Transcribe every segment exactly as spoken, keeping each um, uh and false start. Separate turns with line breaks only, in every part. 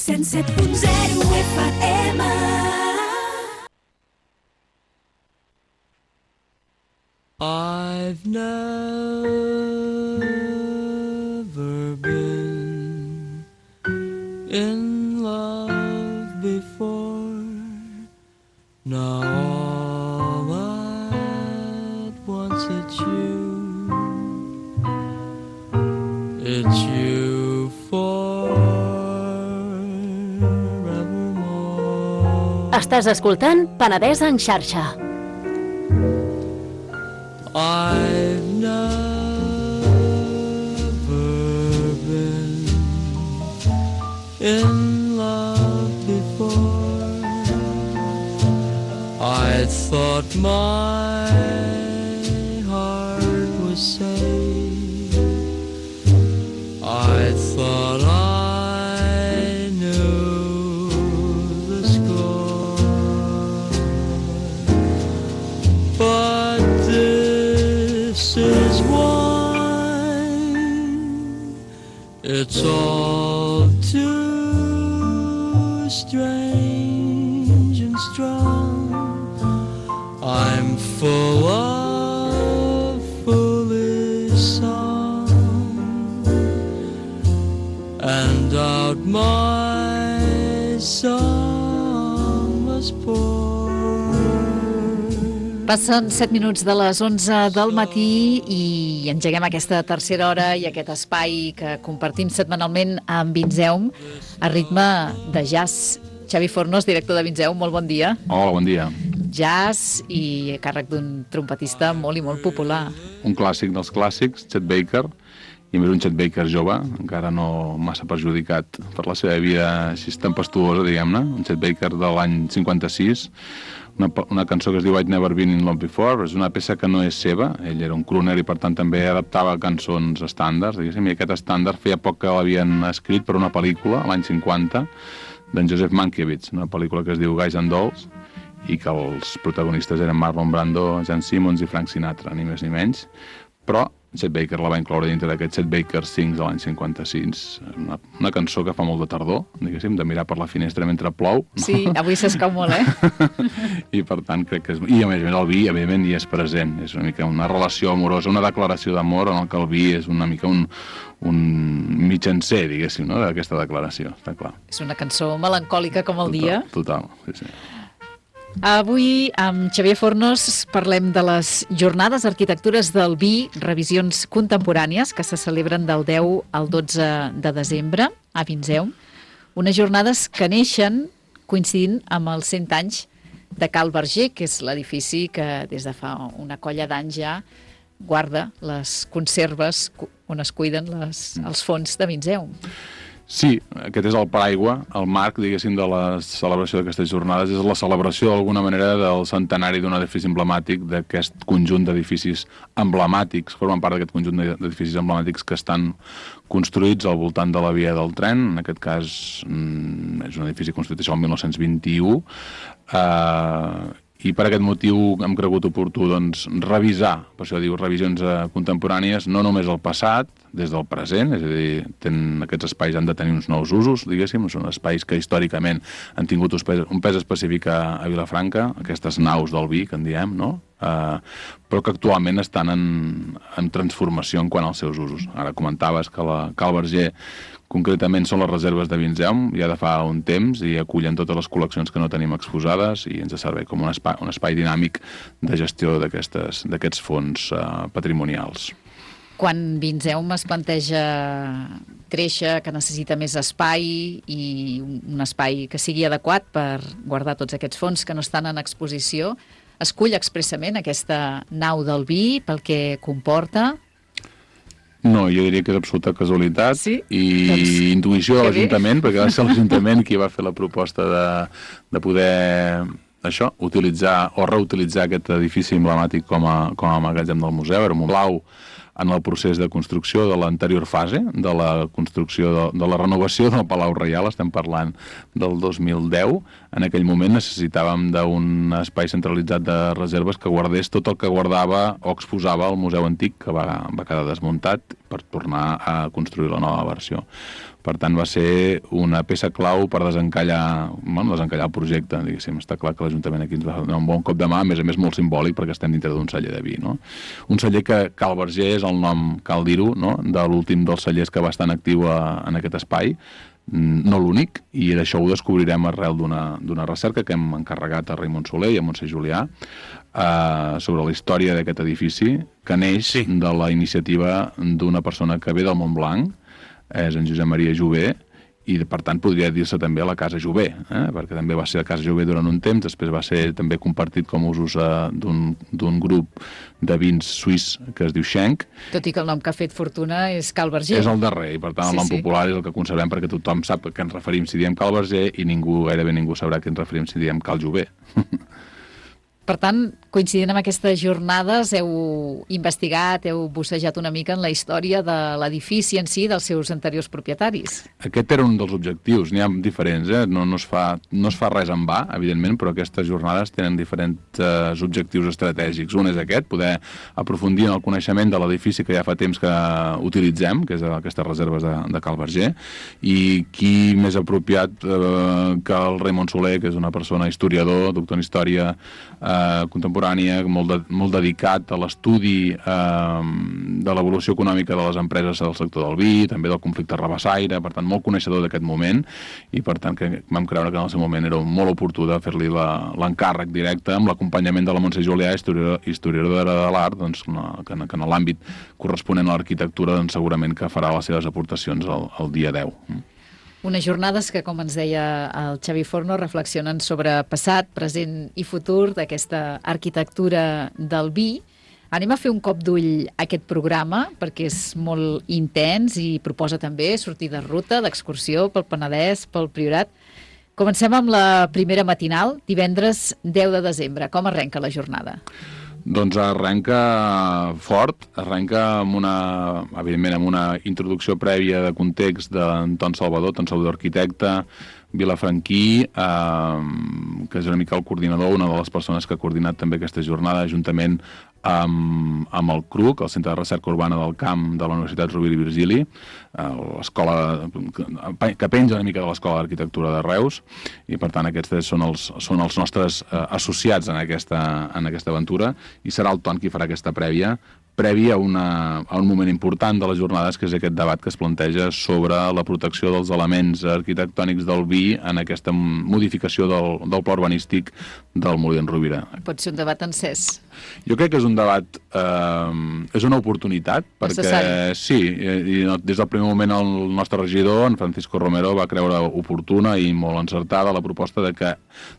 cent set punt zero F M.
I've never been in love before. Now all at once it's you. It's you forevermore.
Estàs escoltant Penedès en xarxa.
I've never been in love before. I thought my heart was safe. I thought I knew the score. But this is wine. It's all too strange and strong. I'm full of foolish song, and out my song was poured.
Passen set minuts de les onze del matí i engeguem aquesta tercera hora i aquest espai que compartim setmanalment amb Vinzeum a ritme de jazz. Xavi Fornos, director de Vinzeum, molt bon dia.
Hola, bon dia.
Jazz i a càrrec d'un trompetista molt i molt popular.
Un clàssic dels clàssics, Chet Baker, i més un Chet Baker jove, encara no massa perjudicat per la seva vida així tempestuosa, diguem-ne. Un Chet Baker de l'any cinquanta-sis, una, una cançó que es diu I'd Never Been in Love Before. És una peça que no és seva, ell era un crooner i per tant també adaptava cançons estàndards, diguéssim, i aquest estàndard feia poc que l'havien escrit per una pel·lícula, l'any cinquanta, d'en Joseph Mankiewicz, una pel·lícula que es diu Guys and Dolls, i que els protagonistes eren Marlon Brando, Jan Simmons i Frank Sinatra, ni més ni menys, però Chet Baker la va incloure dintre d'aquest Chet Baker Sings de l'any cinquanta-sis, una, una cançó que fa molt de tardor, diguéssim, de mirar per la finestra mentre plou.
Sí, avui s'escau molt, eh?
I per tant crec que és... I a més a més el vi, evidentment, hi és present, és una mica una relació amorosa, una declaració d'amor en el que el vi és una mica un, un mitjancer, diguéssim, no?, d'aquesta declaració, està clar.
És una cançó melancòlica com el
total,
dia.
Total, sí, sí.
Avui, amb Xavier Fornos, parlem de les Jornades Arquitectures del Vi, revisions contemporànies, que se celebren del deu al dotze de desembre a Vinzeum. Unes jornades que neixen coincidint amb els cent anys de Cal Berger, que és l'edifici que des de fa una colla d'anys ja guarda les conserves on es cuiden les, els fons de Vinzeum.
Sí, aquest és el paraigua, el marc, diguéssim, de la celebració d'aquestes jornades. És la celebració, d'alguna manera, del centenari d'un edifici emblemàtic, d'aquest conjunt d'edificis emblemàtics, formen part d'aquest conjunt d'edificis emblemàtics que estan construïts al voltant de la via del tren. En aquest cas, és un edifici construït això el mil nou-cents vint-i-u, eh, i per aquest motiu hem cregut oportú doncs, revisar, per això diu revisions eh, contemporànies, no només el passat, des del present, és a dir, ten, aquests espais han de tenir uns nous usos, diguéssim, són espais que històricament han tingut un pes, un pes específic a, a Vilafranca, aquestes naus del vi, que en diem, no? Uh, però que actualment estan en, en transformació en quant als seus usos. Ara comentaves que la Cal Berger concretament són les reserves de Vinzeum, ja de fa un temps, i acullen totes les col·leccions que no tenim exposades i ens serveix com un espai, un espai dinàmic de gestió d'aquests fons uh, patrimonials.
Quan Vinzeum es planteja créixer, que necessita més espai i un espai que sigui adequat per guardar tots aquests fons que no estan en exposició, escull expressament aquesta nau del vi pel que comporta?
No, jo diria que és absoluta casualitat
sí?
i
doncs,
intuïció de l'Ajuntament, perquè va ser l'Ajuntament qui va fer la proposta de, de poder això, utilitzar o reutilitzar aquest edifici emblemàtic com a, com a magatzem del museu. Era un blau en el procés de construcció de l'anterior fase, de la construcció de, de la renovació del Palau Reial, estem parlant del dos mil deu. En aquell moment necessitàvem d'un espai centralitzat de reserves que guardés tot el que guardava o exposava el Museu Antic, que va, va quedar desmuntat per tornar a construir la nova versió. Per tant, va ser una peça clau per desencallar, bueno, desencallar el projecte, diguéssim. Està clar que l'Ajuntament aquí ens va donar un bon cop de mà, a més a més molt simbòlic, perquè estem dintre d'un celler de vi, no? Un celler que Cal Verger és el nom, cal dir-ho, no?, de l'últim dels cellers que va estar en actiu a, en aquest espai, no l'únic, i d'això ho descobrirem arrel d'una recerca que hem encarregat a Raimon Soler i a Montse Julià eh, sobre la història d'aquest edifici, que neix sí. de la iniciativa d'una persona que ve del Montblanc, és en Josep Maria Jové, i per tant podria dir-se també a la Casa Jové, eh? perquè també va ser la Casa Jové durant un temps, després va ser també compartit com a usos uh, d'un grup de vins suís que es diu Schenk.
Tot i que el nom que ha fet fortuna és Cal Verger.
És el darrer, i per tant sí, el nom sí. popular és el que conservem perquè tothom sap a què ens referim si diem Cal Verger i ningú, gairebé ningú sabrà a què ens referim si diem Cal Jové.
Per tant, coincidint amb aquestes jornades, heu investigat, heu bussejat una mica en la història de l'edifici en si, dels seus anteriors propietaris.
Aquest era un dels objectius, n'hi ha diferents, eh? no, no, es fa, no es fa res en va, evidentment, però aquestes jornades tenen diferents eh, objectius estratègics. Un és aquest, poder aprofundir en el coneixement de l'edifici que ja fa temps que utilitzem, que és aquestes reserves de, de Cal Verger, i qui més apropiat eh, que el Raimon Soler, que és una persona historiador, doctor en història, eh, contemporània, molt, de, molt dedicat a l'estudi eh, de l'evolució econòmica de les empreses del sector del vi, també del conflicte rabassaire, per tant, molt coneixedor d'aquest moment, i per tant que vam creure que en el seu moment era molt oportú de fer-li l'encàrrec directe amb l'acompanyament de la Montse Julià, historiadora, historiadora de l'art, doncs, que, que en l'àmbit corresponent a l'arquitectura doncs, segurament que farà les seves aportacions el, el dia deu.
Unes jornades que, com ens deia el Xavi Forno, reflexionen sobre passat, present i futur d'aquesta arquitectura del vi. Anem a fer un cop d'ull a aquest programa, perquè és molt intens i proposa també sortir de ruta, d'excursió pel Penedès, pel Priorat. Comencem amb la primera matinal, divendres deu de desembre. Com arrenca la jornada?
Doncs arrenca fort, arrenca amb una, evidentment, amb una introducció prèvia de context d'Anton Salvador, Anton Salvador arquitecte, vilafranquí, eh, que és una mica el coordinador, una de les persones que ha coordinat també aquesta jornada, juntament amb, amb el C R U C, el Centre de Recerca Urbana del Camp de la Universitat Rovira i Virgili, eh, l'escola que penja una mica de l'Escola d'Arquitectura de Reus, i per tant aquests són els, són els nostres eh, associats en aquesta, en aquesta aventura, i serà el Ton qui farà aquesta prèvia, previ a, una, a un moment important de les jornades, que és aquest debat que es planteja sobre la protecció dels elements arquitectònics del vi en aquesta modificació del, del pla urbanístic del Molí d'en Rovira.
Pot ser un debat encès.
Jo crec que és un debat, eh, és una oportunitat, perquè necessari. Sí, i, i des del primer moment el nostre regidor, en Francisco Romero, va creure oportuna i molt encertada la proposta de que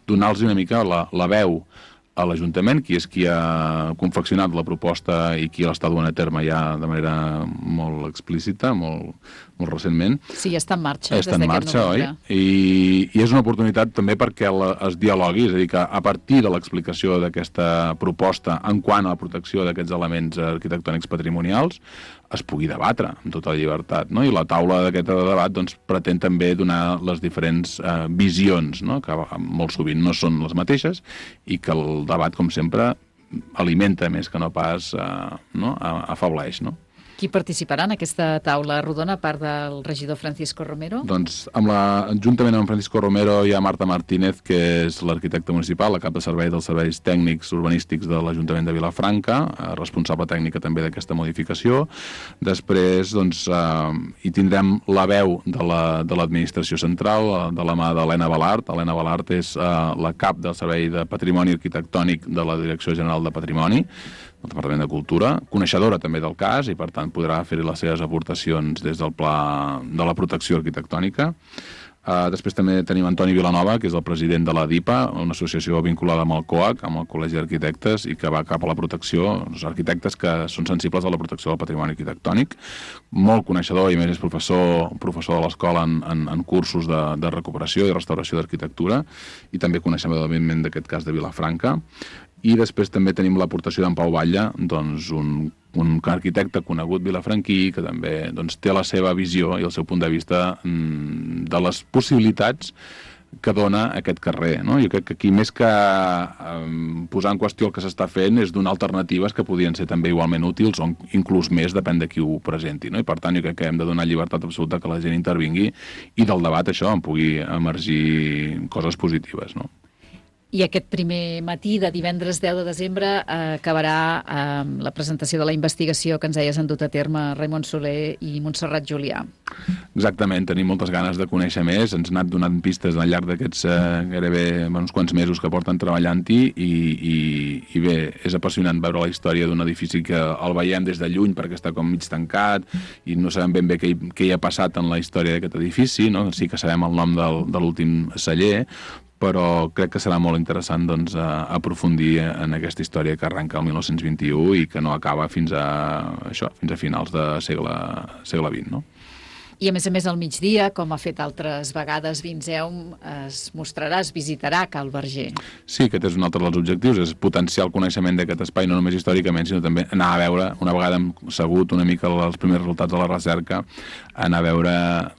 donar-los una mica la, la veu a l'Ajuntament, qui és qui ha confeccionat la proposta i qui l'està duent a terme ja de manera molt explícita, molt, molt recentment.
Sí, ja està en marxa.
Està en marxa, oi? I, I és una oportunitat també perquè la, es dialogui, és a dir, que a partir de l'explicació d'aquesta proposta en quant a la protecció d'aquests elements arquitectònics patrimonials es pugui debatre amb tota la llibertat, no? I la taula d'aquest debat doncs, pretén també donar les diferents eh, visions, no? Que molt sovint no són les mateixes, i que el debat, com sempre, alimenta més que no pas eh, no? Afebleix, no?
Qui participarà en aquesta taula rodona, a part del regidor Francisco Romero?
Doncs, amb la, juntament amb Francisco Romero, hi ha Marta Martínez, que és l'arquitecte municipal, la cap de servei dels serveis tècnics urbanístics de l'Ajuntament de Vilafranca, responsable tècnica també d'aquesta modificació. Després, doncs, eh, hi tindrem la veu de l'administració la, central, de la mà d'Helena Balart. Helena Balart és eh, la cap del Servei de Patrimoni Arquitectònic de la Direcció General de Patrimoni, del Departament de Cultura, coneixedora també del cas, i per tant podrà fer les seves aportacions des del pla de la protecció arquitectònica. Uh, després també tenim Antoni Vilanova, que és el president de la DIPA, una associació vinculada amb el COAC, amb el Col·legi d'Arquitectes, i que va cap a la protecció, els arquitectes que són sensibles a la protecció del patrimoni arquitectònic. Molt coneixedor, i a més és professor, professor de l'escola en, en, en cursos de, de recuperació i restauració d'arquitectura, i també coneixem evidentment d'aquest cas de Vilafranca. I després també tenim l'aportació d'en Pau Batlle, doncs un, un arquitecte conegut vilafranquí, que també doncs, té la seva visió i el seu punt de vista mm, de les possibilitats que dona aquest carrer, no? Jo crec que aquí més que eh, posar en qüestió el que s'està fent és donar alternatives que podien ser també igualment útils o inclús més, depèn de qui ho presenti, no? I per tant jo crec que hem de donar llibertat absoluta que la gent intervingui i del debat això en pugui emergir coses positives, no?
I aquest primer matí de divendres deu de desembre eh, acabarà amb eh, la presentació de la investigació que ens deies han dut a terme Raimon Soler i Montserrat Julià.
Exactament, tenim moltes ganes de conèixer més, ens han anat donant pistes al llarg d'aquests eh, gairebé uns quants mesos que porten treballant-hi i, i, i bé, és apassionant veure la història d'un edifici que el veiem des de lluny perquè està com mig tancat i no sabem ben bé què hi, què hi ha passat en la història d'aquest edifici, no? Sí que sabem el nom del, de l'últim celler, però crec que serà molt interessant doncs, aprofundir en aquesta història que arrenca el mil nou-cents vint-i-u i que no acaba fins a, això, fins a finals de segle, segle vint, no?
I a més a més al migdia, com ha fet altres vegades Vinzeum, es mostrarà, es visitarà Cal Verger.
Sí, aquest és un altre dels objectius, és potenciar el coneixement d'aquest espai, no només històricament, sinó també anar a veure, una vegada hem segut una mica els primers resultats de la recerca, anar a veure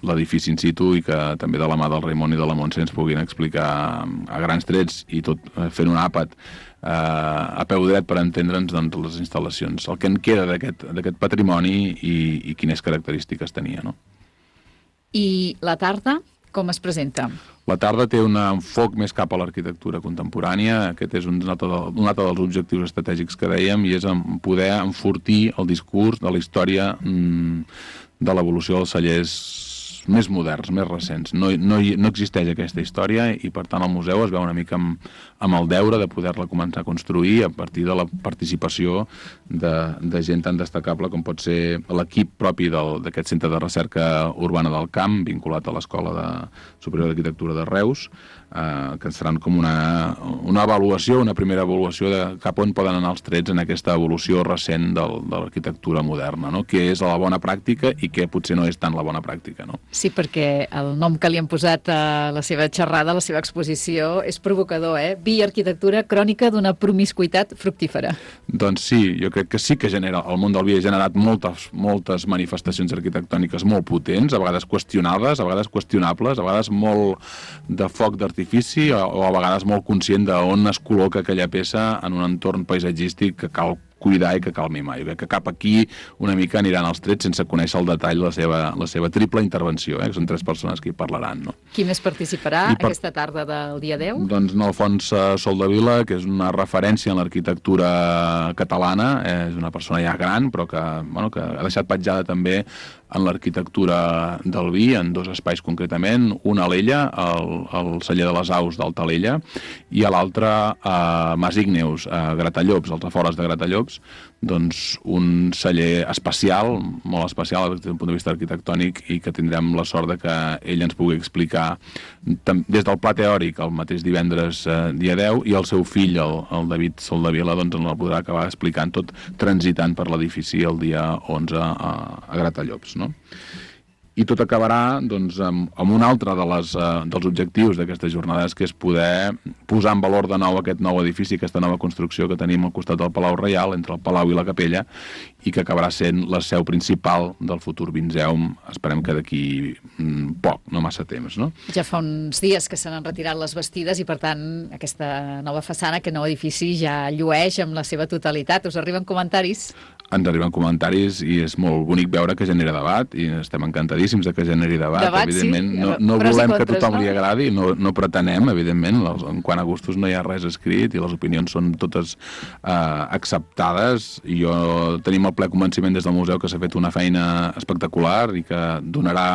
l'edifici in situ i que també de la mà del Raimon i de la Montse ens puguin explicar a grans trets i tot fent un àpat eh, a peu dret per entendre'ns doncs, les instal·lacions, el que en queda d'aquest patrimoni i, i quines característiques tenia, no?
I la tarda, com es presenta?
La tarda té un enfoc més cap a l'arquitectura contemporània. Aquest és un altre, un altre dels objectius estratègics que dèiem i és poder enfortir el discurs de la història mmm, de l'evolució dels cellers més moderns, més recents. No, no, no existeix aquesta història i, per tant, el museu es veu una mica amb, amb el deure de poder-la començar a construir a partir de la participació de, de gent tan destacable com pot ser l'equip propi d'aquest centre de recerca urbana del Camp, vinculat a l'Escola de Superior d'Arquitectura de Reus, eh, que seran com una, una avaluació, una primera avaluació de cap on poden anar els trets en aquesta evolució recent del, de l'arquitectura moderna, no? Què és la bona pràctica i què potser no és tant la bona pràctica, no?
Sí, perquè el nom que li han posat a la seva xerrada, a la seva exposició, és provocador, eh? Vi arquitectura crònica d'una promiscuitat fructífera.
Doncs sí, jo crec que sí que genera, el món del vi ha generat moltes, moltes manifestacions arquitectòniques molt potents, a vegades qüestionades, a vegades qüestionables, a vegades molt de foc d'artifici o, o a vegades molt conscient d'on es col·loca aquella peça en un entorn paisatgístic que cal cuidar i que cal mimar. Jo crec que cap aquí una mica aniran els trets sense conèixer el detall la seva, la seva triple intervenció, eh? Que són tres persones que hi parlaran, no?
Qui més participarà per... aquesta tarda del dia deu?
Doncs Alfons Soldevila, que és una referència en l'arquitectura catalana, és una persona ja gran, però que, bueno, que ha deixat petjada també en l'arquitectura del vi, en dos espais concretament, un a l'Ella, el, el celler de les Aus d'Altalella, i a l'altre a Mas Igneus, a Gratallops, als afores de Gratallops, doncs un celler especial, molt especial des del punt de vista arquitectònic i que tindrem la sort de que ell ens pugui explicar des del pla teòric el mateix divendres eh, dia deu i el seu fill, el, el David Soldevila, doncs ens el podrà acabar explicant tot transitant per l'edifici el dia onze a, a Gratallops, no? I tot acabarà doncs, amb, amb un altre de les, uh, dels objectius d'aquestes jornades, que és poder posar en valor de nou aquest nou edifici, aquesta nova construcció que tenim al costat del Palau Reial, entre el Palau i la Capella, i que acabarà sent la seu principal del futur Vinzeum, esperem que d'aquí mm, poc, no massa temps, no?
Ja fa uns dies que se n'han retirat les bastides i, per tant, aquesta nova façana, aquest nou edifici ja llueix amb la seva totalitat. Us arriben comentaris?
Ens arriben comentaris i és molt bonic veure que genera debat i estem encantadíssims de que generi debat.
Debat,
evidentment,
sí.
no, no volem
contres,
que tothom
no?
li agradi, no, no pretenem, evidentment, en quant a gustos no hi ha res escrit i les opinions són totes eh, acceptades. I jo tenim el ple convenciment des del museu que s'ha fet una feina espectacular i que donarà...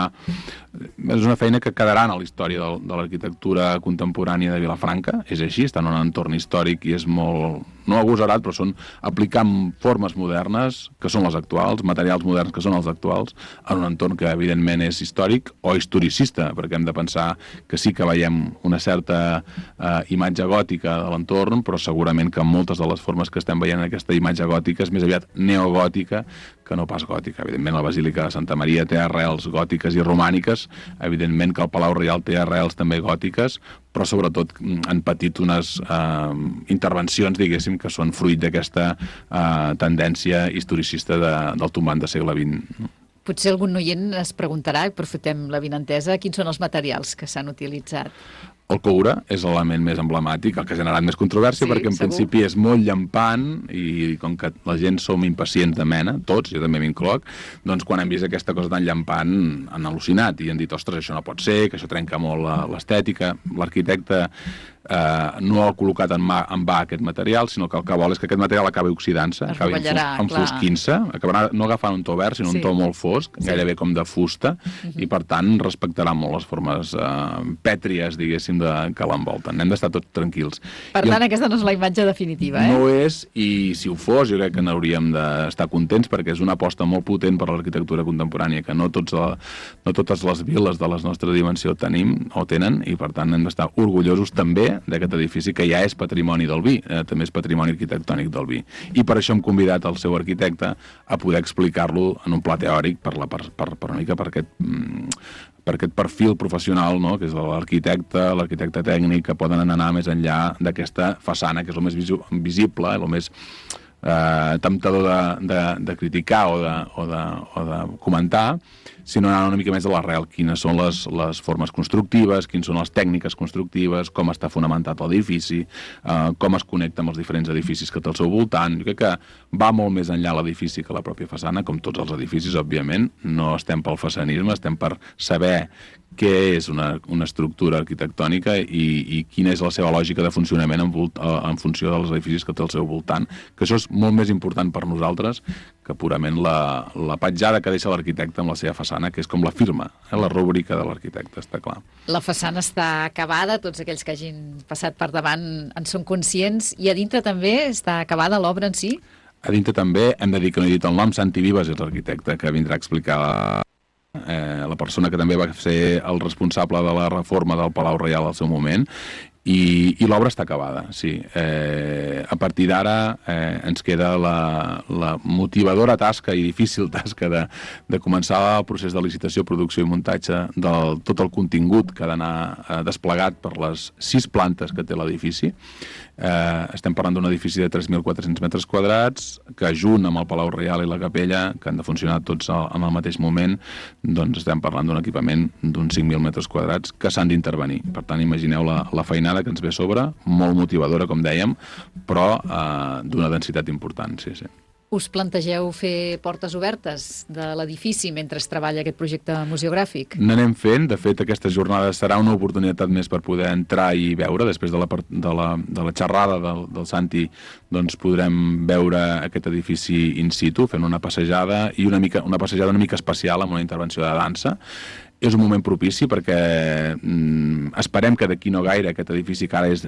És una feina que quedarà en la història de, de l'arquitectura contemporània de Vilafranca, és així, està en un entorn històric i és molt, no agosarat, però són aplicant formes modernes, que són les actuals, materials moderns que són els actuals, en un entorn que evidentment és històric o historicista, perquè hem de pensar que sí que veiem una certa eh, imatge gòtica de l'entorn, però segurament que moltes de les formes que estem veient en aquesta imatge gòtica és més aviat neogòtica que no pas gòtica. Evidentment la Basílica de Santa Maria té arrels gòtiques i romàniques, evidentment que el Palau Reial té arrels també gòtiques, però sobretot han patit unes eh, intervencions, diguéssim, que són fruit d'aquesta eh, tendència historicista de, del tombant de segle vint.
Potser algun oient es preguntarà, i aprofitem la vinentesa, quins són els materials que s'han utilitzat?
El coure és l'element més emblemàtic, el que ha generat més controvèrsia,
Sí,
perquè en
segur.
principi és molt llampant i com que la gent som impacients de mena, tots, jo també m'incloc, doncs quan hem vist aquesta cosa tan llampant han al·lucinat i han dit, ostres, això no pot ser, que això trenca molt la- l'estètica. L'arquitecte eh, no ha col·locat en, mà, en va aquest material, sinó que el que vol és que aquest material acabi oxidant-se,
Es
acabi
rovellarà, clar.
enfosquint-se, acabarà no agafant un to verd, sinó
Sí.
un to molt fosc,
Sí.
gairebé com de fusta, i per tant respectarà molt les formes eh, pètries, diguéssim, de, que l'envolten. Hem d'estar tots tranquils.
Per
I
tant, aquesta no és la imatge definitiva, eh?
no ho és, i si ho fos, jo crec que n'hauríem d'estar contents, perquè és una aposta molt potent per l'arquitectura contemporània, que no, tots la, no totes les viles de la nostra dimensió tenim o tenen, i per tant hem d'estar orgullosos també d'aquest edifici que ja és patrimoni del vi, eh, també és patrimoni arquitectònic del vi. I per això hem convidat el seu arquitecte a poder explicar-lo en un pla teòric per, la, per, per, per una mica per aquest, mm, per aquest perfil professional, no?, que és l'arquitecte, l'arquitecte tècnic, que poden anar més enllà d'aquesta façana, que és el més visu, visible, el més eh, temptador de, de, de criticar o de, o, de, o de comentar, sinó anar una mica més a l'arrel, quines són les, les formes constructives, quines són les tècniques constructives, com està fonamentat l'edifici, eh, com es connecta amb els diferents edificis que té al seu voltant. Jo crec que va molt més enllà l'edifici que la pròpia façana, com tots els edificis, òbviament. No estem pel façanisme, estem per saber què és una, una estructura arquitectònica i, i quina és la seva lògica de funcionament en, volt, en funció dels edificis que té al seu voltant, que això és molt més important per nosaltres que purament la, la petjada que deixa l'arquitecte amb la seva façana, que és com la firma, eh, la rúbrica de l'arquitecte, està clar.
La façana està acabada, tots aquells que hagin passat per davant en són conscients, i a dintre també està acabada l'obra en si?
A dintre també hem de dir que no he dit el nom, Santi Vives és l'arquitecte que vindrà a explicar eh, la persona que també va ser el responsable de la reforma del Palau Reial al seu moment, i, i l'obra està acabada, sí. Eh, a partir d'ara eh, ens queda la, la motivadora tasca i difícil tasca de, de començar el procés de licitació, producció i muntatge de tot el contingut que ha d'anar eh, desplegat per les sis plantes que té l'edifici. Eh, estem parlant d'un edifici de tres mil quatre-cents metres quadrats que, junt amb el Palau Reial i la Capella, que han de funcionar tots al, en el mateix moment, doncs estem parlant d'un equipament d'uns cinc mil metres quadrats que s'han d'intervenir. Per tant, imagineu la, la feinada que ens ve a sobre, molt motivadora, com dèiem, però eh, d'una densitat important, sí, sí.
Us plantegeu fer portes obertes de l'edifici mentre es treballa aquest projecte museogràfic?
N'anem fent. De fet, aquesta jornada serà una oportunitat més per poder entrar i veure. Després de la, de la, de la xerrada del, del Santi, doncs podrem veure aquest edifici in situ, fent una passejada, i una, mica, una passejada una mica especial amb una intervenció de dansa. És un moment propici perquè mm, esperem que d'aquí no gaire aquest edifici, que ara és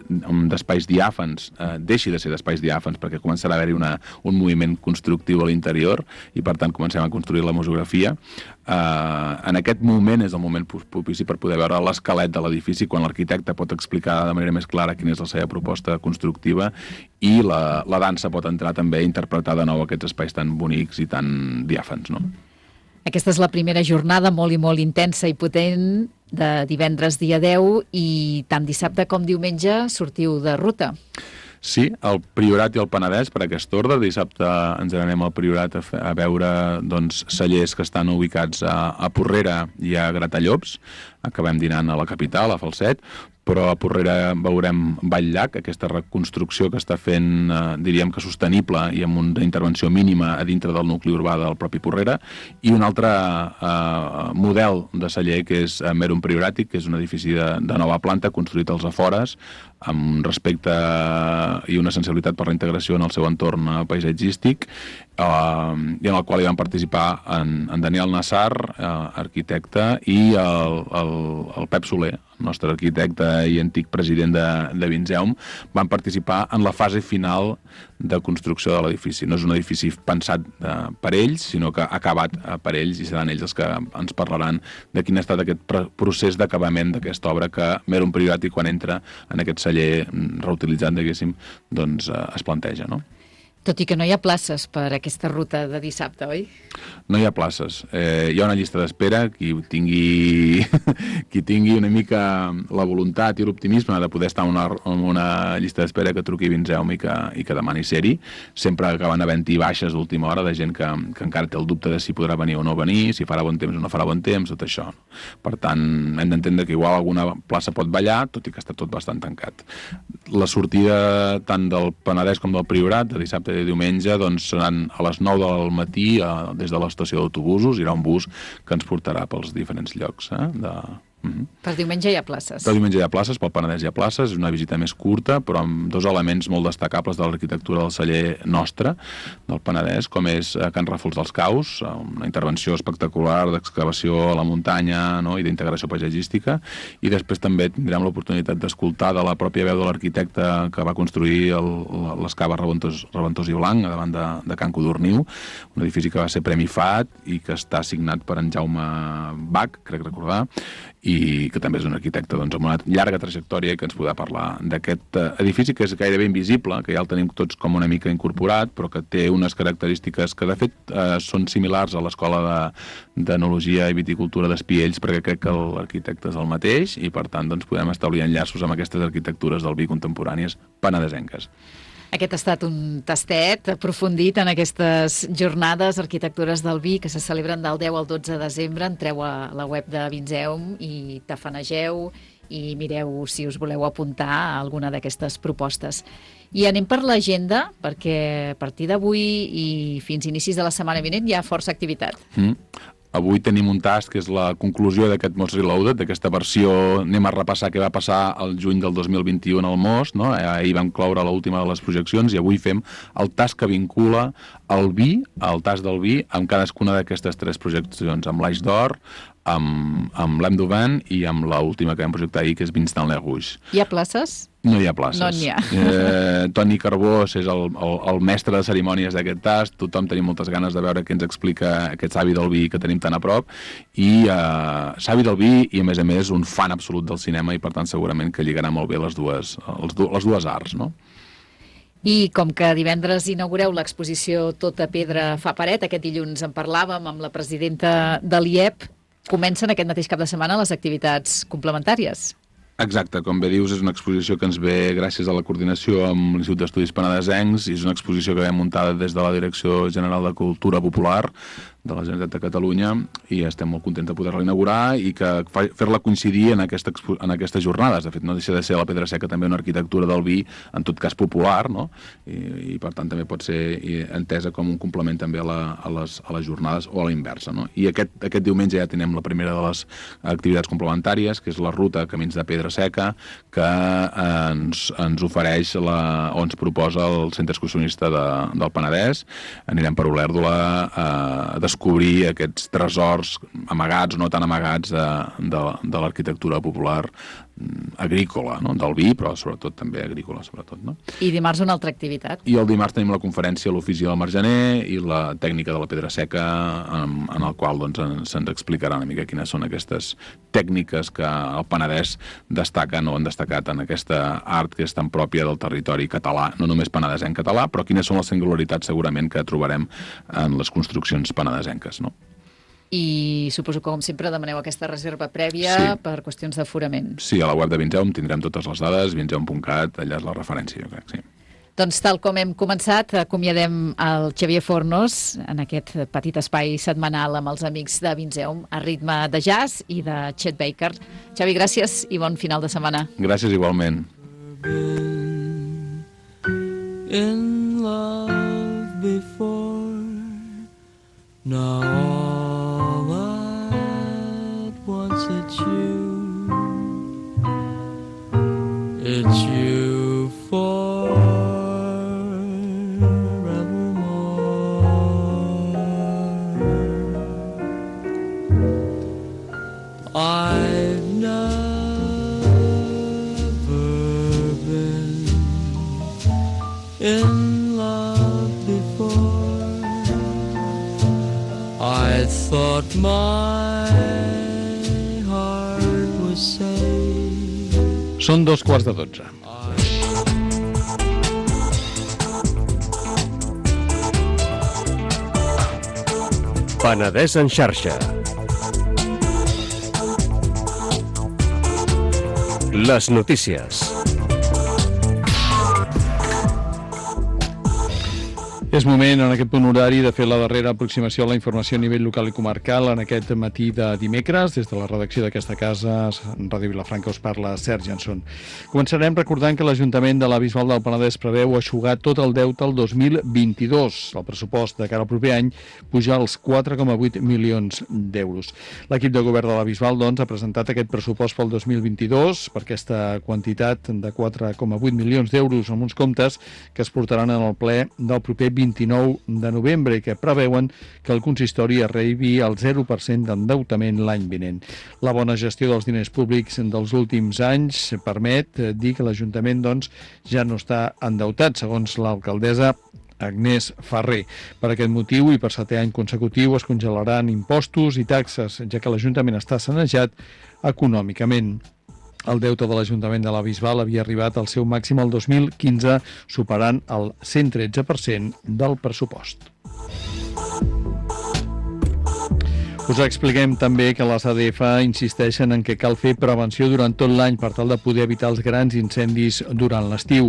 d'espais diàfans, eh, deixi de ser d'espais diàfans, perquè començarà a haver-hi una, un moviment constructiu a l'interior i per tant comencem a construir la museografia. Eh, en aquest moment és el moment propici per poder veure l'esquelet de l'edifici, quan l'arquitecte pot explicar de manera més clara quina és la seva proposta constructiva i la, la dansa pot entrar també a interpretar de nou aquests espais tan bonics i tan diàfans, no?
Aquesta és la primera jornada molt i molt intensa i potent de divendres dia deu, i tant dissabte com diumenge sortiu de ruta.
Sí, el Priorat i el Penedès per aquest ordre. Dissabte ens anem al Priorat a, a veure doncs, cellers que estan ubicats a, a Porrera i a Gratallops. Acabem dinant a la capital, a Falset, però a Porrera veurem Vall-llac, aquesta reconstrucció que està fent, eh, diríem que sostenible i amb una intervenció mínima a dintre del nucli urbà del propi Porrera, i un altre eh, model de celler que és Merum Prioràtic, que és un edifici de, de nova planta construït als afores, amb respecte i una sensibilitat per la integració en el seu entorn paisatgístic, eh, i en el qual hi van participar en, en Daniel Nassar, eh, arquitecte, i el, el, el Pep Soler, el nostre arquitecte i antic president de, de Vinzeum, van participar en la fase final de construcció de l'edifici. No és un edifici pensat eh, per ells, sinó que ha acabat eh, per ells, i seran ells els que ens parlaran de quin ha estat aquest procés d'acabament d'aquesta obra que Merum Prioràtic, quan entra en aquest celler reutilitzat, diguéssim, doncs eh, es planteja, no?
Tot i que no hi ha places per aquesta ruta de dissabte, oi?
No hi ha places. Eh, hi ha una llista d'espera. Qui tingui, qui tingui una mica la voluntat i l'optimisme de poder estar en una, en una llista d'espera, que truqui Vinzeum i que, i que demani ser-hi. Sempre acaben havent-hi baixes d'última hora de gent que, que encara té el dubte de si podrà venir o no venir, si farà bon temps o no farà bon temps, tot això. Per tant, hem d'entendre que igual alguna plaça pot ballar, tot i que està tot bastant tancat. La sortida tant del Penedès com del Priorat, de dissabte i de diumenge, doncs seran a les nou del matí eh, des de l'estació d'autobusos. Hi haurà un bus que ens portarà pels diferents llocs. Eh, de... Mm-hmm.
Per diumenge hi ha places.
Per diumenge hi ha places, pel Penedès hi ha places, és una visita més curta, però amb dos elements molt destacables de l'arquitectura del celler nostre, del Penedès, com és Can Ràfols dels Caus, una intervenció espectacular d'excavació a la muntanya, no?, i d'integració paisatgística, i després també tindrem l'oportunitat d'escoltar de la pròpia veu de l'arquitecte que va construir el, les caves Reventós, Reventós i Blanc, davant de, de Can Codorniu, un edifici que va ser Premi F A T i que està signat per en Jaume Bach, crec recordar, i que també és un arquitecte doncs, amb una llarga trajectòria que ens podrà parlar d'aquest edifici que és gairebé invisible, que ja el tenim tots com una mica incorporat, però que té unes característiques que de fet eh, són similars a l'Escola d'Enologia i Viticultura d'Espiells, perquè crec que l'arquitecte és el mateix i per tant doncs, podem establir enllaços amb aquestes arquitectures del vi contemporànies penedesenques.
Aquest ha estat un tastet aprofundit en aquestes jornades Arquitectures del Vi que se celebren del deu al dotze de desembre. Entreu a la web de Vinzeum i tafanegeu i mireu si us voleu apuntar a alguna d'aquestes propostes. I anem per l'agenda, perquè a partir d'avui i fins a inicis de la setmana vinent hi ha força activitat.
Mm. Avui tenim un tast que és la conclusió d'aquest Most Reloaded, d'aquesta versió, anem a repassar què va passar el juny del dos mil vint-i-u en el Most, no? Ahir vam cloure l'última de les projeccions i avui fem el tast que vincula el vi, el tast del vi, amb cadascuna d'aquestes tres projeccions, amb l'Aix d'Or, amb, amb l'Hem d'Auvent i amb l'última que vam projectar ahir, que és Vincent Le Rouge.
Hi ha places?
No hi ha places.
No n'hi ha.
Eh, Toni Carbós és el, el, el mestre de cerimònies d'aquest tast, tothom tenim moltes ganes de veure què ens explica aquest savi del vi que tenim tan a prop, i eh, savi del vi i a més a més un fan absolut del cinema i per tant segurament que lligarà molt bé les dues, les, les dues arts, no?
I com que divendres inaugureu l'exposició Tota pedra fa paret, aquest dilluns en parlàvem amb la presidenta de l'I E P, comencen aquest mateix cap de setmana les activitats complementàries.
Exacte, com bé dius, és una exposició que ens ve gràcies a la coordinació amb l'Institut d'Estudis Penedesencs i és una exposició que vam muntada des de la Direcció General de Cultura Popular de la Generalitat de Catalunya i estem molt contents de poder-la inaugurar i que fer-la coincidir en, aquesta, en aquestes jornades. De fet, no deixa de ser la Pedra Seca també una arquitectura del vi, en tot cas popular, no? I, i per tant també pot ser entesa com un complement també a, la, a, les, a les jornades o a la inversa, no? I aquest, aquest diumenge ja tenim la primera de les activitats complementàries, que és la ruta Camins de Pedra Seca, que eh, ens, ens ofereix la, o ens proposa el Centre Excursionista de, del Penedès. Anirem per Olèrdola a eh, descobrir aquests tresors amagats o no tan amagats de, de, de l'arquitectura popular agrícola, no? Del vi, però sobretot també agrícola, sobretot, no?
I dimarts una altra activitat.
I el dimarts tenim la conferència a l'Ofici del Margener i la tècnica de la pedra seca, en, en el qual doncs, se'ns explicarà una mica quines són aquestes tècniques que el Penedès destaquen o han destacat en aquesta art que és tan pròpia del territori català, no només penedesenc català, però quines són les singularitats segurament que trobarem en les construccions penedesenques, no?
I suposo que, com sempre, demaneu aquesta reserva prèvia sí. per qüestions d'aforament.
Sí, a la web de Vinzeum tindrem totes les dades, vinzeum punt cat, allà és la referència, jo crec, sí.
Doncs tal com hem començat, acomiadem el Xavier Fornos en aquest petit espai setmanal amb els amics de Vinzeum a ritme de jazz i de Chet Baker. Xavi, gràcies i bon final de setmana.
Gràcies igualment.
In love before, now it's you, it's you forevermore. I've never been in love before. I thought my
Són dos quarts de dotze.
Penedès en xarxa. Les notícies.
És moment, en aquest punt horari, de fer la darrera aproximació a la informació a nivell local i comarcal en aquest matí de dimecres. Des de la redacció d'aquesta casa, Ràdio Vilafranca, us parla Sergi Jansson. Començarem recordant que l'Ajuntament de la Bisbal del Penedès preveu eixugar tot el deute el dos mil vint-i-dos. El pressupost de cara al proper any puja als quatre coma vuit milions d'euros. L'equip de govern de la Bisbal, doncs, ha presentat aquest pressupost pel dos mil vint-i-dos per aquesta quantitat de quatre coma vuit milions d'euros amb uns comptes que es portaran en el ple del proper vint-i-nou de novembre i que preveuen que el consistori arribi al zero per cent d'endeutament l'any vinent. La bona gestió dels diners públics dels últims anys permet dir que l'Ajuntament, doncs, ja no està endeutat, segons l'alcaldessa Agnès Ferrer. Per aquest motiu i per setè any consecutiu es congelaran impostos i taxes, ja que l'Ajuntament està sanejat econòmicament. El deute de l'Ajuntament de la Bisbal havia arribat al seu màxim el dos mil quinze, superant el cent tretze per cent del pressupost. Us expliquem també que les A D F insisteixen en que cal fer prevenció durant tot l'any per tal de poder evitar els grans incendis durant l'estiu.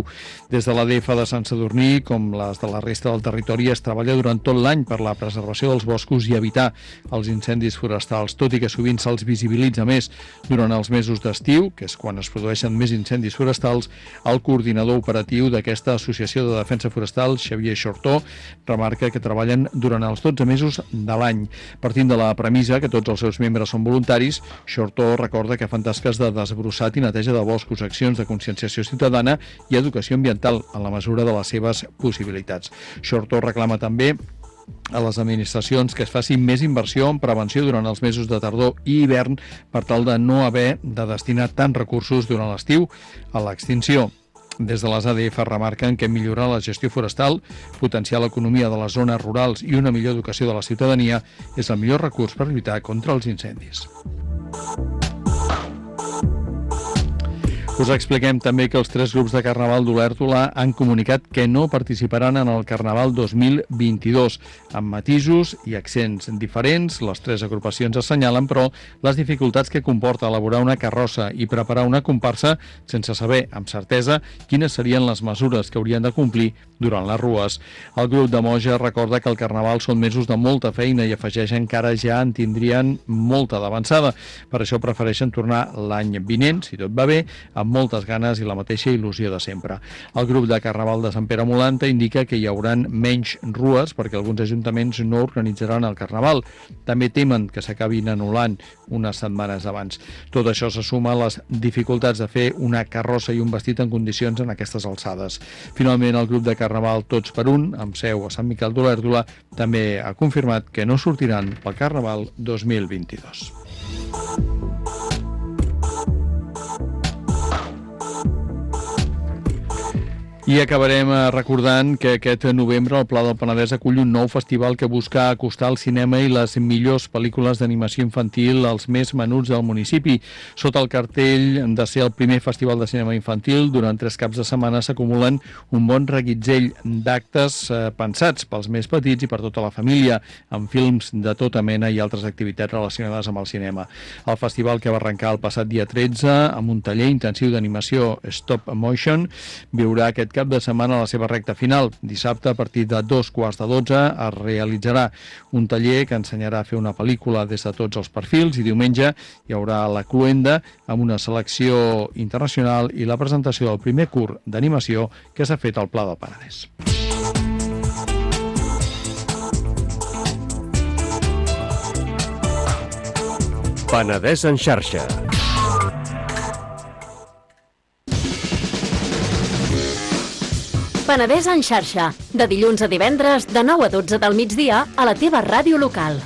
Des de l'A D F de Sant Sadurní, com les de la resta del territori, es treballa durant tot l'any per la preservació dels boscos i evitar els incendis forestals, tot i que sovint se'ls visibilitza més durant els mesos d'estiu, que és quan es produeixen més incendis forestals. El coordinador operatiu d'aquesta Associació de Defensa Forestal, Xavier Xortó, remarca que treballen durant els dotze mesos de l'any. Partint de la premissa que tots els seus membres són voluntaris, Xortó recorda que fan tasques de desbrossat i neteja de boscos, accions de conscienciació ciutadana i educació ambiental en la mesura de les seves possibilitats. Xortó reclama també a les administracions que es faci més inversió en prevenció durant els mesos de tardor i hivern per tal de no haver de destinar tants recursos durant l'estiu a l'extinció. Des de les A D F remarquen que millorar la gestió forestal, potenciar l'economia de les zones rurals i una millor educació de la ciutadania és el millor recurs per lluitar contra els incendis. Us expliquem també que els tres grups de Carnaval d'Olèrdola han comunicat que no participaran en el Carnaval dos mil vint-i-dos. Amb matisos i accents diferents, les tres agrupacions assenyalen, però, les dificultats que comporta elaborar una carrossa i preparar una comparsa sense saber amb certesa quines serien les mesures que haurien de complir durant les rues. El grup de Moja recorda que el Carnaval són mesos de molta feina i afegeixen que ara ja en tindrien molta d'avançada. Per això prefereixen tornar l'any vinent, si tot va bé, amb moltes ganes i la mateixa il·lusió de sempre. El grup de Carnaval de Sant Pere Molanta indica que hi hauran menys rues perquè alguns ajuntaments no organitzaran el Carnaval. També temen que s'acabin anul·lant unes setmanes abans. Tot això se suma a les dificultats de fer una carrossa i un vestit en condicions en aquestes alçades. Finalment, el grup de Carnaval Tots per Un, amb seu a Sant Miquel d'Olèrdola, també ha confirmat que no sortiran pel Carnaval dos mil vint-i-dos. I acabarem recordant que aquest novembre el Pla del Penedès acull un nou festival que busca acostar el cinema i les millors pel·lícules d'animació infantil als més menuts del municipi. Sota el cartell de ser el primer festival de cinema infantil, durant tres caps de setmana s'acumulen un bon reguitzell d'actes eh, pensats pels més petits i per tota la família, amb films de tota mena i altres activitats relacionades amb el cinema. El festival, que va arrencar el passat dia tretze amb un taller intensiu d'animació stop motion, viurà aquest cap de setmana a la seva recta final. Dissabte, a partir de dos quarts de dotze, es realitzarà un taller que ensenyarà a fer una pel·lícula des de tots els perfils i diumenge hi haurà la cloenda amb una selecció internacional i la presentació del primer curt d'animació que s'ha fet al Pla del Penedès.
Penedès en xarxa.
Penedès en xarxa, de dilluns a divendres, de nou a dotze del migdia, a la teva ràdio local.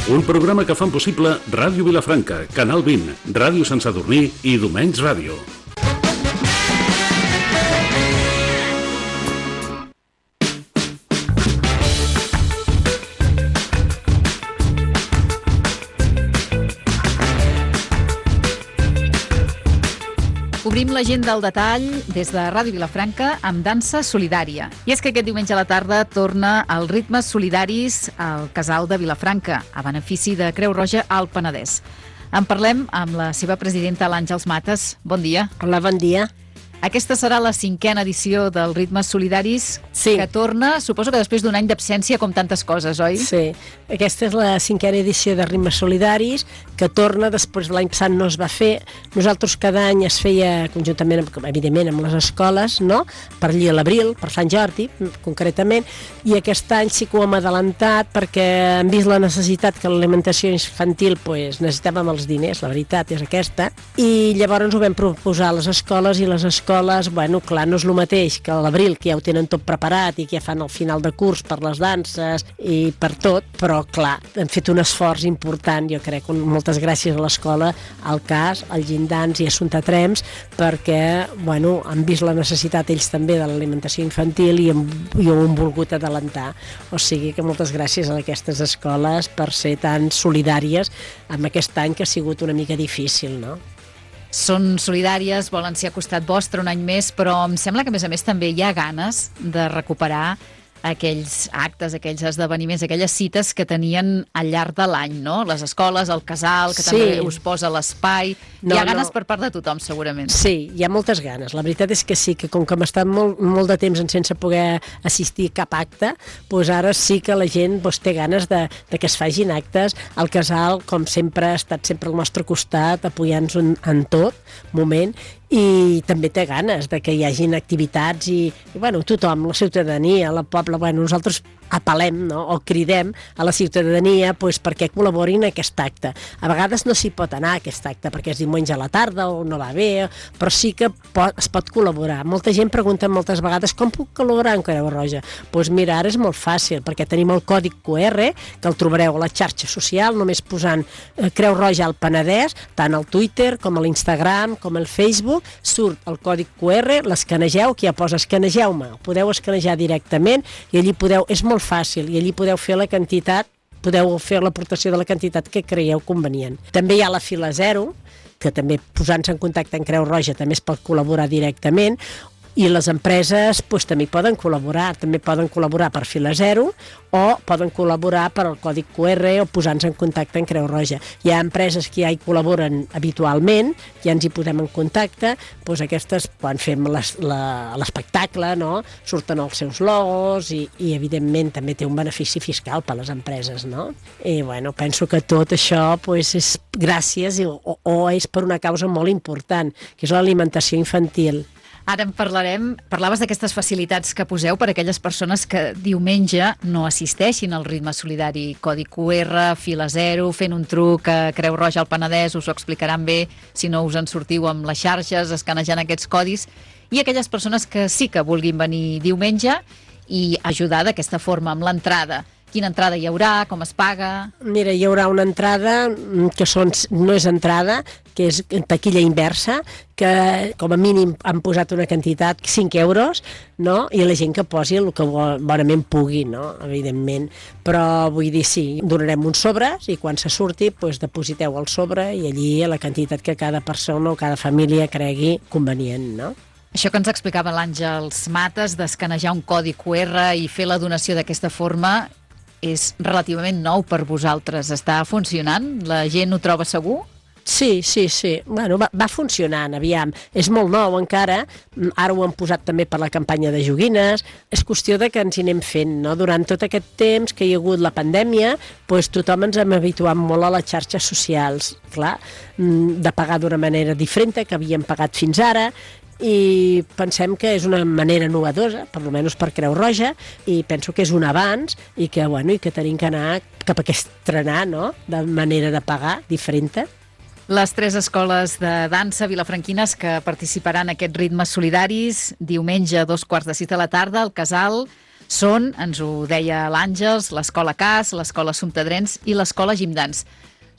Un programa que fan possible Ràdio Vilafranca, Canal vint, Ràdio Sant Sadurní i Domenys Ràdio.
Obrim l'agenda al detall des de Ràdio Vilafranca amb dansa solidària. I és que aquest diumenge a la tarda torna el Ritmes Solidaris al Casal de Vilafranca, a benefici de Creu Roja al Penedès. En parlem amb la seva presidenta, l'Àngels Mates. Bon dia.
Hola, bon dia.
Aquesta serà la cinquena edició del Ritmes Solidaris,
sí.
que torna, suposo que després d'un any d'absència, com tantes coses, oi?
Sí, aquesta és la cinquena edició de Ritmes Solidaris, que torna, després l'any passat no es va fer. Nosaltres cada any es feia conjuntament, amb, evidentment, amb les escoles, no? Per allí a l'abril, per Sant Jordi, concretament, i aquest any sí que ho hem adelantat perquè hem vist la necessitat que l'alimentació infantil, pues, necessitàvem els diners, la veritat és aquesta, i llavors ho vam proposar a les escoles, i les escoles escoles, bueno, clar, no és el mateix que a l'abril, que ja ho tenen tot preparat i que ja fan el final de curs per les danses i per tot, però clar, hem fet un esforç important, jo crec, moltes gràcies a l'escola, al CAS, al Gindans i a Assumpta Trems, perquè, bueno, han vist la necessitat ells també de l'alimentació infantil i, hem, i ho han volgut adelantar. O sigui que moltes gràcies a aquestes escoles per ser tan solidàries amb aquest any que ha sigut una mica difícil, no?
Són solidàries, volen ser a costat vostre un any més, però em sembla que, a més a més, també hi ha ganes de recuperar aquells actes, aquells esdeveniments, aquelles cites que tenien al llarg de l'any, no? Les escoles, el casal, que
sí.
també us posa l'espai.
No,
hi ha ganes
no.
per part de tothom, segurament.
Sí, hi ha moltes ganes. La veritat és que sí, que com que hem estat molt, molt de temps sense poder assistir a cap acte, doncs ara sí que la gent doncs, té ganes de, de que es fagin actes. El casal, com sempre, ha estat sempre al nostre costat, apoyant-nos en, en tot moment, i també té ganes de que hi hagin activitats i, i bueno, tothom, la ciutadania, la poble, bueno, nosaltres apel·lem, no? O cridem a la ciutadania pues, perquè col·laborin en aquest acte. A vegades no s'hi pot anar a aquest acte perquè és diumenge a la tarda o no va bé, però sí que pot, es pot col·laborar. Molta gent pregunta moltes vegades com puc col·laborar en Creu Roja? Doncs pues mira, ara és molt fàcil perquè tenim el còdic Q R que el trobareu a la xarxa social només posant eh, Creu Roja al Penedès, tant al Twitter com a l'Instagram com al Facebook, surt el còdic Q R, l'escanegeu, que ja posa escanegeu-me, el podeu escanejar directament i allí podeu, és molt fàcil, i allí podeu fer la quantitat, podeu fer l'aportació de la quantitat que creieu convenient. També hi ha la fila zero, que també posant-se en contacte amb Creu Roja també es pot col·laborar directament, i les empreses pues, també poden col·laborar, també poden col·laborar per fila zero o poden col·laborar per el còdic Q R o posant-se en contacte amb Creu Roja. Hi ha empreses que ja hi col·laboren habitualment, ja ens hi posem en contacte, doncs aquestes, quan fem l'espectacle, no? Surten els seus logos i, i evidentment també té un benefici fiscal per a les empreses, no? I bueno, penso que tot això pues, és gràcies o, o és per una causa molt important, que és l'alimentació infantil.
Ara en parlarem. Parlaves d'aquestes facilitats que poseu per a aquelles persones que diumenge no assisteixin al ritme solidari. Codi Q R, fila zero, fent un truc a Creu Roja al Penedès, us ho explicaran bé si no us en sortiu amb les xarxes, escanejant aquests codis. I aquelles persones que sí que vulguin venir diumenge i ajudar d'aquesta forma amb l'entrada. Quina entrada hi haurà, com es paga?
Mira, hi haurà una entrada que són, no és entrada, que és taquilla inversa, que com a mínim han posat una quantitat, cinc euros, no? I la gent que posi el que bonament pugui, no? Evidentment. Però vull dir, sí, donarem uns sobres i quan se surti, doncs, depositeu el sobre i allí la quantitat que cada persona o cada família cregui convenient, no?
Això que ens explicava l'Àngels Mates, d'escanejar un codi Q R i fer la donació d'aquesta forma, és relativament nou per vosaltres. Està funcionant? La gent ho troba segur?
Sí, sí, sí. Bueno, va, va funcionant, aviam. És molt nou encara, ara ho hem posat també per la campanya de joguines. És qüestió de que ens hi anem fent, no? Durant tot aquest temps que hi ha hagut la pandèmia, doncs tothom ens hem habituat molt a les xarxes socials, clar, de pagar d'una manera diferent que havíem pagat fins ara, i pensem que és una manera novedosa, per almenys per Creu Roja, i penso que és un avanç i que, bueno, i que tenim que anar cap a aquest estrenar, no?, de manera de pagar diferent.
Les tres escoles de dansa vilafranquines que participaran en aquests ritmes solidaris diumenge a dos quarts de sis de la tarda al Casal són, ens ho deia l'Àngels, l'Escola Cas, l'Escola Assumpta Trems i l'Escola Gindans.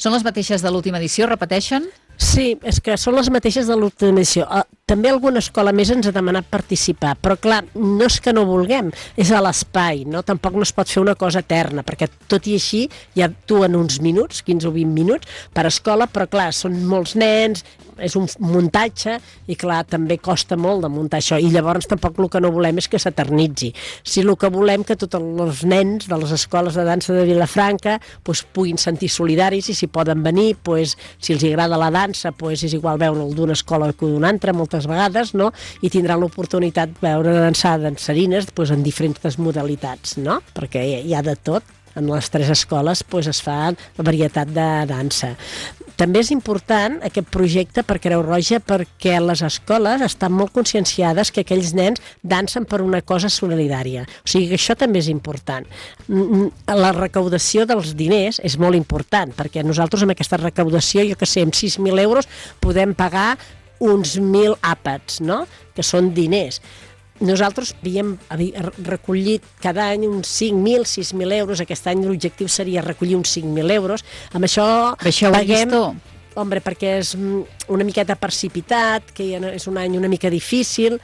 Són les mateixes de l'última edició, repeteixen?
Sí, és que són les mateixes de l'última edició. També alguna escola més ens ha demanat participar, però clar, no és que no vulguem, és a l'espai, no? Tampoc no es pot fer una cosa eterna, perquè tot i així ja actuen uns minuts, quinze o vint minuts, per escola, però clar, són molts nens, és un muntatge i clar, també costa molt de muntar això i llavors tampoc el que no volem és que s'eternitzi. Si el que volem que tots els nens de les escoles de dansa de Vilafranca pues, puguin sentir solidaris i si poden venir, pues, si els agrada la dansa pues, és igual veure'l d'una escola que d'una altra moltes vegades, no? I tindran l'oportunitat de veure dansar dansarines pues, en diferents modalitats, no? Perquè hi ha de tot. En les tres escoles pues, es fa la varietat de dansa. També és important aquest projecte per Creu Roja perquè les escoles estan molt conscienciades que aquells nens dansen per una cosa solidària. O sigui que això també és important. La recaudació dels diners és molt important perquè nosaltres amb aquesta recaudació, jo que sé, amb sis mil euros podem pagar uns mil àpats, no? Que són diners. Nosaltres havíem recollit cada any uns cinc mil, sis mil euros. Aquest any l'objectiu seria recollir uns cinc mil euros. Amb això,
això
paguem... Hombre, perquè és una miqueta precipitat, que és un any una mica difícil,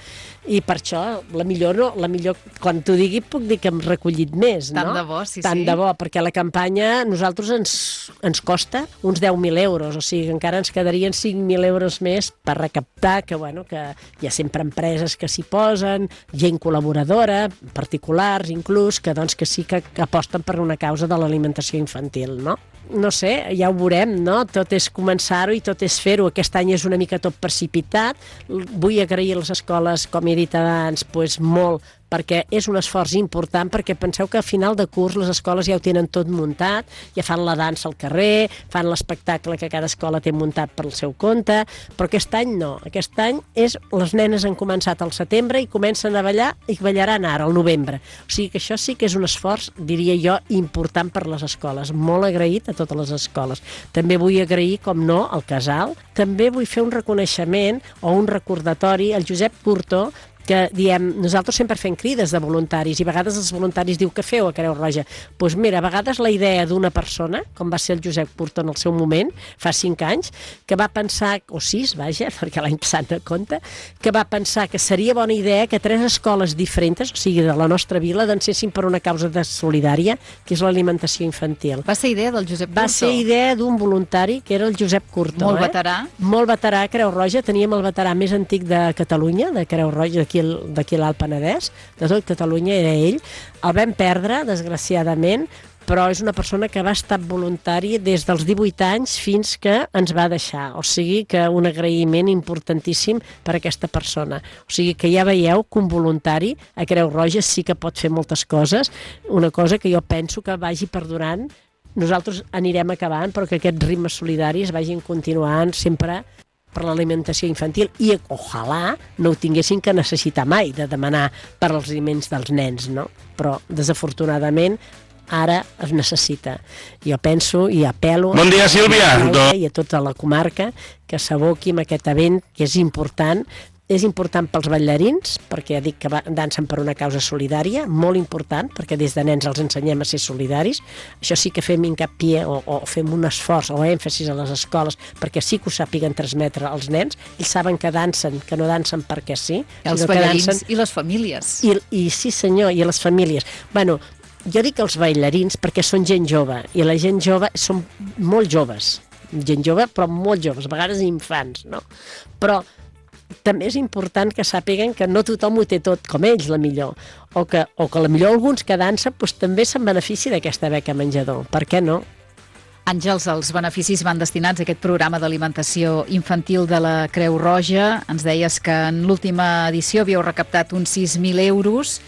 i per això, la millor, no, la millor quan t'ho digui, puc dir que hem recollit més, no?
Tant de bo, sí,
Tant
sí.
de bo, perquè la campanya a nosaltres ens, ens costa uns deu mil euros, o sigui, encara ens quedarien cinc mil euros més per recaptar, que, bueno, que hi ha sempre empreses que s'hi posen, gent col·laboradora, particulars inclús, que, doncs, que sí que, que aposten per una causa de l'alimentació infantil, no? No sé, ja ho veurem, no? Tot és començar-ho i tot és fer-ho. Aquest any és una mica tot precipitat. Vull agrair a les escoles, com he dit abans, pues, molt, perquè és un esforç important, perquè penseu que a final de curs les escoles ja ho tenen tot muntat, ja fan la dansa al carrer, fan l'espectacle que cada escola té muntat pel seu compte, però aquest any no. Aquest any és, les nenes han començat al setembre i comencen a ballar i ballaran ara, al novembre. O sigui que això sí que és un esforç, diria jo, important per les escoles. Molt agraït a totes les escoles. També vull agrair, com no, al Casal. També vull fer un reconeixement o un recordatori al Josep Curto, que diem, nosaltres sempre fem crides de voluntaris i a vegades els voluntaris diu què feu a Creu Roja? Doncs pues mira, a vegades la idea d'una persona, com va ser el Josep Curto en el seu moment, fa cinc anys, que va pensar, o sis, vaja, perquè l'any passat no compta, que va pensar que seria bona idea que tres escoles diferents, o sigui, de la nostra vila, dansessin per una causa de solidària, que és l'alimentació infantil.
Va ser idea del Josep Curto?
Va ser idea d'un voluntari, que era el Josep Curto.
Molt
eh?
veterà.
Molt veterà a Creu Roja. Teníem el veterà més antic de Catalunya, de Creu Roja, d'aquí a l'Alt Penedès, de tot Catalunya era ell. El vam perdre, desgraciadament, però és una persona que va estar voluntari des dels divuit anys fins que ens va deixar. O sigui que un agraïment importantíssim per a aquesta persona. O sigui que ja veieu que un voluntari a Creu Roja sí que pot fer moltes coses, una cosa que jo penso que vagi perdurant. Nosaltres anirem acabant, però que aquests ritmes solidaris vagin continuant sempre per l'alimentació infantil i ojalà no ho tinguessin que necessitar mai de demanar per als aliments dels nens, no? Però desafortunadament ara es necessita. Jo penso i apel·lo
bon dia, Sílvia.
A i a tota la comarca que s'aboqui amb aquest event que és important. És important pels ballarins, perquè ja dic que dansen per una causa solidària, molt important, perquè des de nens els ensenyem a ser solidaris. Això sí que fem hincapié o, o fem un esforç o èmfasis a les escoles perquè sí que ho sàpiguen transmetre als nens. Ells saben que dansen, que no dansen perquè sí.
I els ballarins dansen... i les famílies.
I, I sí senyor, i les famílies. Bueno, jo dic els ballarins perquè són gent jove, i la gent jove són molt joves. Gent jove, però molt joves, a vegades infants, no? Però també és important que sàpiguen que no tothom ho té tot com ells, la millor, o que, o que la millor alguns que dansen doncs, també se'n benefici d'aquesta beca menjador. Per què no?
Àngels, els beneficis van destinats a aquest programa d'alimentació infantil de la Creu Roja. Ens deies que en l'última edició havíeu recaptat uns sis mil euros.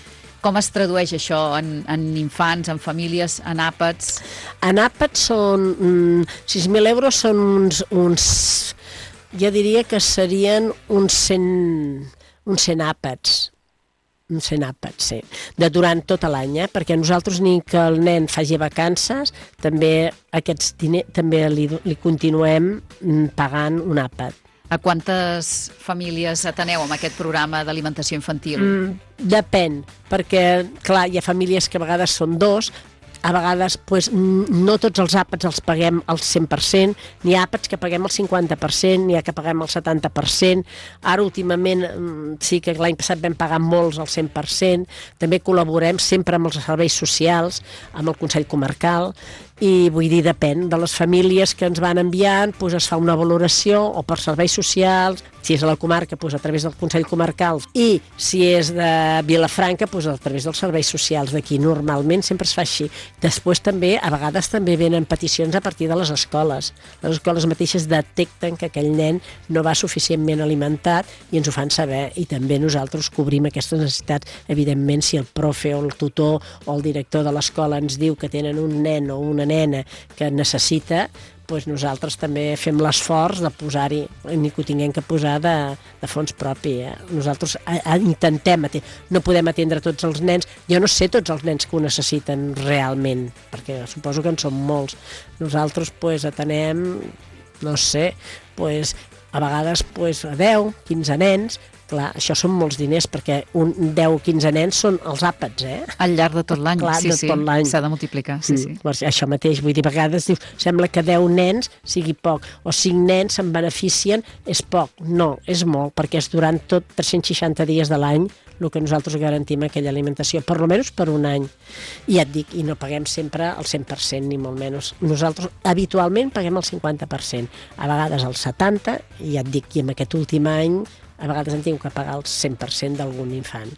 Com es tradueix això en, en infants, en famílies, en àpats?
En àpats són... Mm, sis mil euros són uns... uns jo diria que serien uns cent, uns cent àpats, uns cent àpats, sí, de durant tot l'any, eh? Perquè nosaltres ni que el nen faci vacances, també aquests diners també li, li continuem pagant un àpat.
A quantes famílies ateneu amb aquest programa d'alimentació infantil?
Mm, depèn, perquè, clar, hi ha famílies que a vegades són dos, a vegades pues, no tots els àpats els paguem al cent per cent, n'hi ha àpats que paguem el cinquanta per cent, n'hi ha que paguem el setanta per cent, ara últimament sí que l'any passat vam pagar molts al cent per cent, també col·laborem sempre amb els serveis socials, amb el Consell Comarcal, i vull dir, depèn de les famílies que ens van enviant, doncs es fa una valoració o per serveis socials, si és a la comarca, doncs a través del Consell Comarcal, i si és de Vilafranca, doncs a través dels serveis socials d'aquí. Normalment sempre es fa així. Després també, a vegades també venen peticions a partir de les escoles. Les escoles mateixes detecten que aquell nen no va suficientment alimentat i ens ho fan saber, i també nosaltres cobrim aquestes necessitats. Evidentment, si el profe o el tutor o el director de l'escola ens diu que tenen un nen o una nena que necessita, doncs nosaltres també fem l'esforç de posar-hi, ni que ho tinguem que posar de, de fons propi. Eh? Nosaltres a, a, intentem atendre. No podem atendre tots els nens. Jo no sé tots els nens que ho necessiten realment, perquè suposo que en són molts. Nosaltres doncs, atenem, no sé, doncs, a vegades doncs, a deu, quinze nens. Clar, això són molts diners, perquè un deu o quinze nens són els àpats, eh?
Al llarg de tot l'any,
Clar,
sí,
de
sí,
tot l'any.
s'ha de multiplicar, sí, sí.
Mm, això mateix, vull dir, a vegades dius, sembla que deu nens sigui poc, o cinc nens se'n beneficien, és poc. No, és molt, perquè és durant tot tres-cents seixanta dies de l'any el que nosaltres garantim aquella alimentació, per almenys per un any. I ja et dic, i no paguem sempre el cent per cent, ni molt menys. Nosaltres habitualment paguem el cinquanta per cent, a vegades el setanta per cent, i ja et dic, i en aquest últim any a vegades hem tingut que pagar el cent per cent d'algun infant.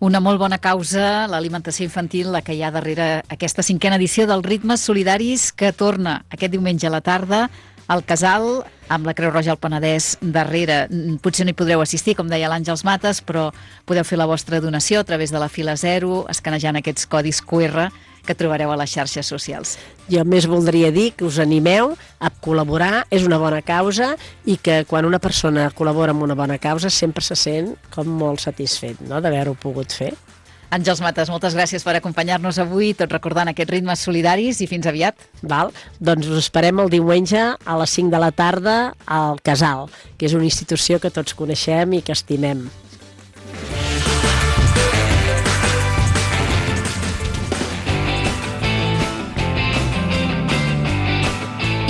Una molt bona causa, l'alimentació infantil, la que hi ha darrere aquesta cinquena edició dels Ritmes Solidaris, que torna aquest diumenge a la tarda al Casal, amb la Creu Roja al Penedès darrere. Potser no hi podreu assistir, com deia l'Àngels Mates, però podeu fer la vostra donació a través de la fila zero, escanejant aquests codis Q R que trobareu a les xarxes socials.
Jo més voldria dir que us animeu a col·laborar, és una bona causa, i que quan una persona col·labora amb una bona causa sempre se sent com molt satisfet, no?, d'haver-ho pogut fer.
Àngels Mates, moltes gràcies per acompanyar-nos avui, tot recordant aquests Ritmes Solidaris, i fins aviat.
Val? Doncs us esperem el diumenge a les cinc de la tarda al Casal, que és una institució que tots coneixem i que estimem.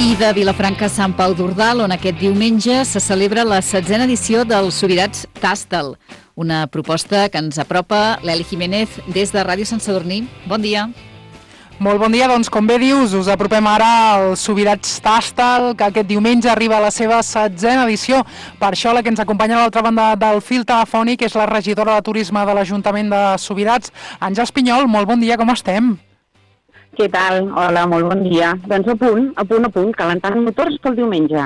I de Vilafranca a Sant Pau d'Ordal, on aquest diumenge se celebra la setzena edició dels Sobirats Tàstal, una proposta que ens apropa l'Eli Jiménez des de Ràdio Sant Sadurní. Bon dia.
Molt bon dia, doncs com bé dius, us apropem ara al Sobirats Tàstal, que aquest diumenge arriba a la seva setzena edició. Per això la que ens acompanya a l'altra banda del fil telefònic és la regidora de Turisme de l'Ajuntament de Sobirats, Àngels Pinyol. Molt bon dia, com estem?
Què tal? Hola, molt bon dia. Doncs a punt, a punt, a punt, calentant motors pel diumenge.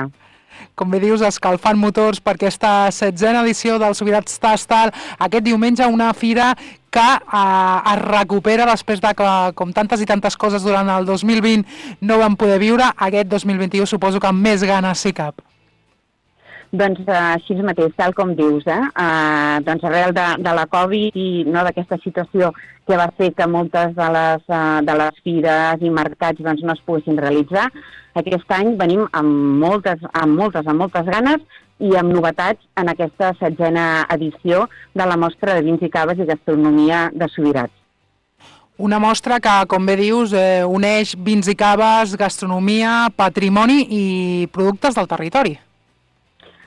Com bé dius, escalfant motors per aquesta setzena edició del Sobirats Tàstal. Aquest diumenge una fira que eh, es recupera després de que, com tantes i tantes coses durant el dos mil vint no vam poder viure, aquest dos mil vint-i-u suposo que amb més ganes sí cap.
Doncs uh, així mateix, tal com dius, eh? Uh, doncs arrel de, de la Covid i no, d'aquesta situació que va fer que moltes de les, uh, de les fires i mercats doncs, no es poguessin realitzar, aquest any venim amb moltes, amb moltes, amb moltes ganes i amb novetats en aquesta setzena edició de la mostra de vins i caves i gastronomia de Sobirats.
Una mostra que, com bé dius, eh, uneix vins i caves, gastronomia, patrimoni i productes del territori.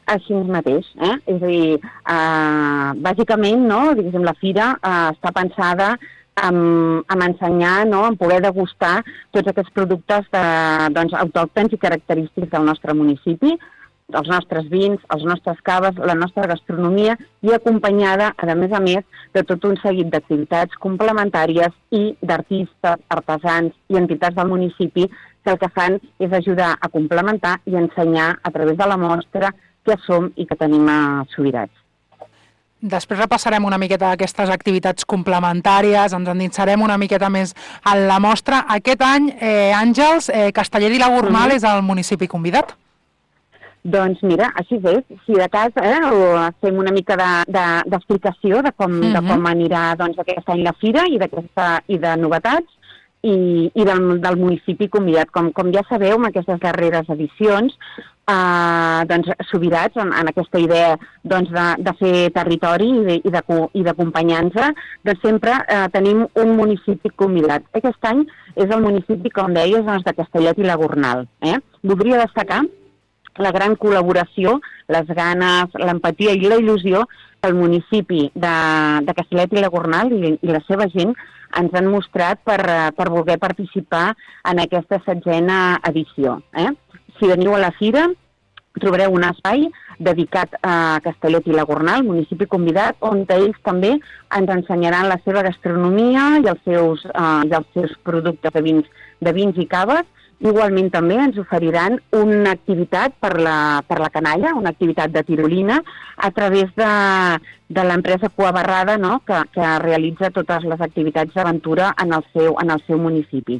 Així mateix, eh? És a dir, eh, bàsicament, no, diguéssim, la fira eh, està pensada en, en ensenyar, no, en poder degustar tots aquests productes de, doncs, autòctons i característics del nostre municipi, els nostres vins, els nostres caves, la nostra gastronomia, i acompanyada, a més a més, de tot un seguit d'activitats complementàries i d'artistes, artesans i entitats del municipi que el que fan és ajudar a complementar i ensenyar a través de la mostra que som i que tenim a Sobirats.
Després repassarem una miqueta aquestes activitats complementàries, ens endinsarem una miqueta més en la mostra. Aquest any, eh, Àngels, eh, Castellet i la Gornal mm-hmm. és el municipi convidat?
Doncs mira, així és. Si de cas eh, fem una mica d'explicació de, de, de, com, mm-hmm. de com anirà doncs, aquest any la fira i, i de novetats i, i del, del municipi convidat. Com, com ja sabeu, en aquestes darreres edicions, Uh, doncs, Sobirats, en, en aquesta idea doncs, de, de fer territori i d'acompanyar-nos, doncs sempre uh, tenim un municipi convidat. Aquest any és el municipi, com deies, doncs, de Castellet i la Gornal. Eh? Voldria destacar la gran col·laboració, les ganes, l'empatia i la il·lusió que el municipi de, de Castellet i la Gornal i, i la seva gent ens han mostrat per, per voler participar en aquesta setzena edició. Eh? Si veniu a la fira, trobareu un espai dedicat a Castellet i la Gornal, municipi convidat, on ells també ens ensenyaran la seva gastronomia i els seus, eh, i els seus productes de vins, de vins i caves. Igualment també ens oferiran una activitat per la, per la canalla, una activitat de tirolina, a través de, de l'empresa Cua Barrada, no? que, que realitza totes les activitats d'aventura en, el seu, en el seu municipi.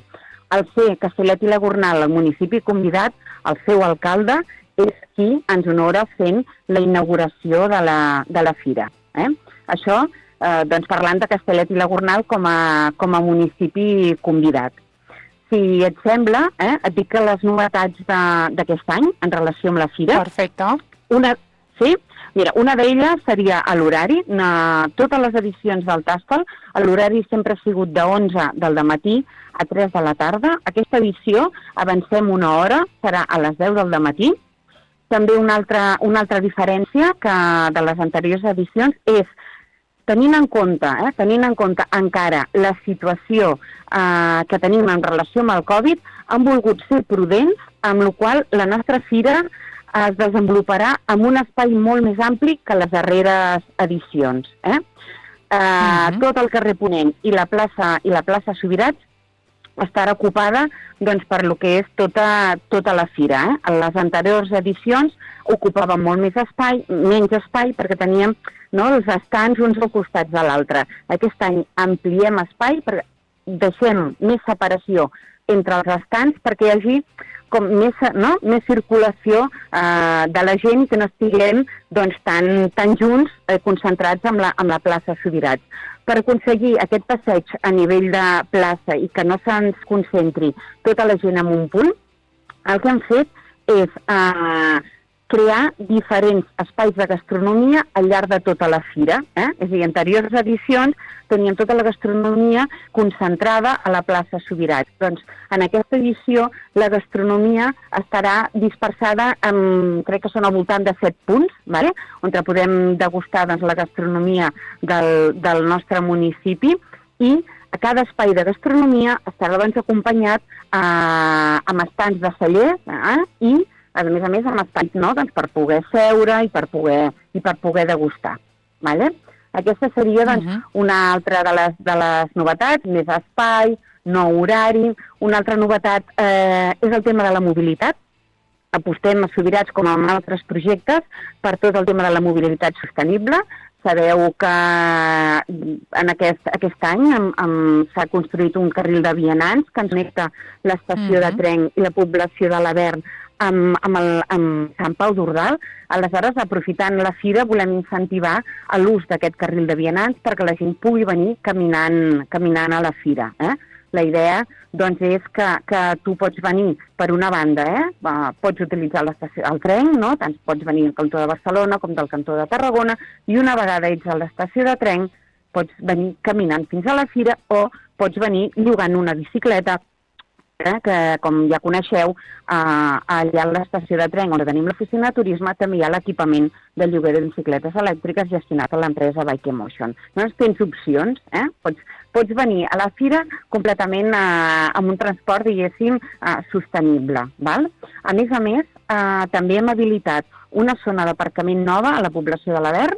Al ser Castellet i la Gornal, el municipi convidat, el seu alcalde és qui ens honora fent la inauguració de la, de la fira. Eh? Això, eh, doncs parlant de Castellet i la Gornal com a, com a municipi convidat. Si et sembla, eh, et dic que les novetats d'aquest any en relació amb la fira...
Perfecte.
Una, sí? Mira, una d'elles seria a l'horari. Totes les edicions del Tastal, l'horari sempre ha sigut de onze del dematí a tres de la tarda. Aquesta edició avancem una hora, serà a les deu del dematí. També una altra, una altra diferència que de les anteriors edicions és, tenint en compte, eh, tenint en compte encara la situació eh, que tenim en relació amb el Covid, han volgut ser prudents, amb la qual la nostra fira es desenvoluparà en un espai molt més ampli que les darreres edicions. Eh? Eh, uh-huh. Tot el carrer Ponent i la plaça, i la plaça Subirats estarà ocupada doncs, per lo que és tota, tota la fira. Eh? En les anteriors edicions ocupàvem molt més espai, menys espai, perquè teníem, no, els estants uns al costat de l'altre. Aquest any ampliem espai, perquè deixem més separació entre els estants perquè hi hagi com més, no? més circulació eh, de la gent i que no estiguem doncs, tan, tan junts eh, concentrats amb la, amb la plaça Subirats. Per aconseguir aquest passeig a nivell de plaça i que no se'ns concentri tota la gent en un punt, el que hem fet és eh, crear diferents espais de gastronomia al llarg de tota la fira. Eh? És a dir, en anteriors edicions teníem tota la gastronomia concentrada a la plaça Subirats. Doncs en aquesta edició la gastronomia estarà dispersada en, crec que són al voltant de set punts, vale? On podem degustar doncs, la gastronomia del, del nostre municipi, i a cada espai de gastronomia estarà doncs, acompanyat eh, amb estants de cellers eh? i a més a més amb espais, no? doncs, per poder seure i per poder, i per poder degustar. Vale? Aquesta seria doncs, uh-huh. una altra de les, de les novetats, més espai, nou horari. Una altra novetat eh, és el tema de la mobilitat. Apostem a Subirats, com en altres projectes, per tot el tema de la mobilitat sostenible. Sabeu que en aquest, aquest any am, am, s'ha construït un carril de vianants que ens connecta l'estació uh-huh. de tren i la població de l'Avern amb, amb, el, amb Sant Pau d'Ordal. Aleshores, aprofitant la fira, volem incentivar l'ús d'aquest carril de vianants perquè la gent pugui venir caminant, caminant a la fira. Eh? La idea doncs, és que, que tu pots venir per una banda, eh? Pots utilitzar l'estació, el tren, no? Tant pots venir del cantó de Barcelona com del cantó de Tarragona, i una vegada ets a l'estació de tren pots venir caminant fins a la fira o pots venir llogant una bicicleta, eh? que com ja coneixeu, eh, allà a l'estació de tren on tenim l'oficina de turisme també hi ha l'equipament de lloguer de bicicletes elèctriques gestionat a l'empresa Bike Emotion. Doncs tens opcions, eh? Pots Pots venir a la fira completament eh, amb un transport, diguéssim, eh, sostenible. Val? A més a més, eh, també hem habilitat una zona d'aparcament nova a la població de l'Avern